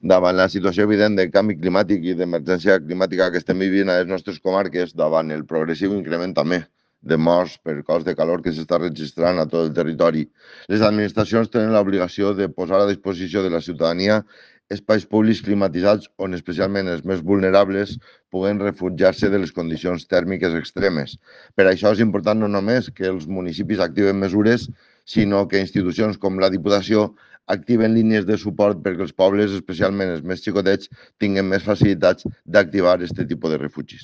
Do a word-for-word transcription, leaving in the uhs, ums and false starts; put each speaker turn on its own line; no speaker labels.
davant la situació evident de canvi climàtic i d'emergència climàtica que estem vivint a les nostres comarques, davant el progressiu increment també de morts per cos de calor que s'està registrant a tot el territori, les administracions tenen l'obligació de posar a disposició de la ciutadania espais públics climatitzats on especialment els més vulnerables puguen refugiar-se de les condicions tèrmiques extremes. Per això és important no només que els municipis activen mesures, sinó que institucions com la Diputació activen línies de suport perquè els pobles, especialment els més xicotets, tinguin més facilitats d'activar aquest tipus de refugis.